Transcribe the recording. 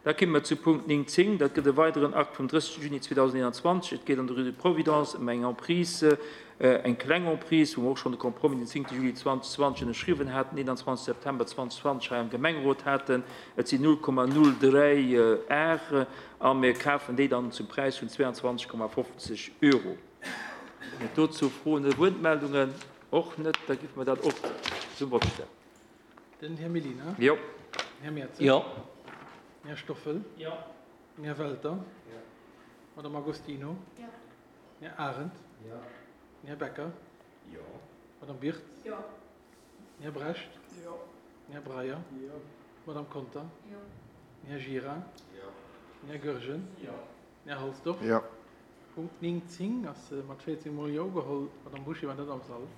Da komme mer zu Punkt 9, 10. Dat gëtt e weideren Akt vum 30 Juni 2021. Et geet an der Rue de Providence ëm eng Emprise, eng kleng Emprise, wou mer och schonn de Compromis den 10 Juli 2020 ënnerschriwwen haten, 21 September 2020 hei am Gemengerot haten. Et sinn 0,03 Ar a mir kafen déi dann zum Präis vun 22,50 Euro. Ginn et dozou Froen oder Wuertmeldungen? Och net. Da géife mer dat och zum Vott stellen. Den Här Mellina. Jo. Den Här Mertzig. Jo. Den Här Stoffel. Jo. Den Här Welter. Jo. D'Madame Agostino. Jo. Den Här Arendt. Jo. Den Här Becker. Jo. D'Madame Birtz. Jo. Den Här Brecht. Jo. Den Här Breyer. Jo. D'Madame Conter. Jo. Den Här Gira. Jo. Den Här Goergen. Jo. Den Här Halsdorf. Jo. Punkt 9, 10 ass mat 14 mol Jo ugeholl. D'Madame Bouché war net am Sall.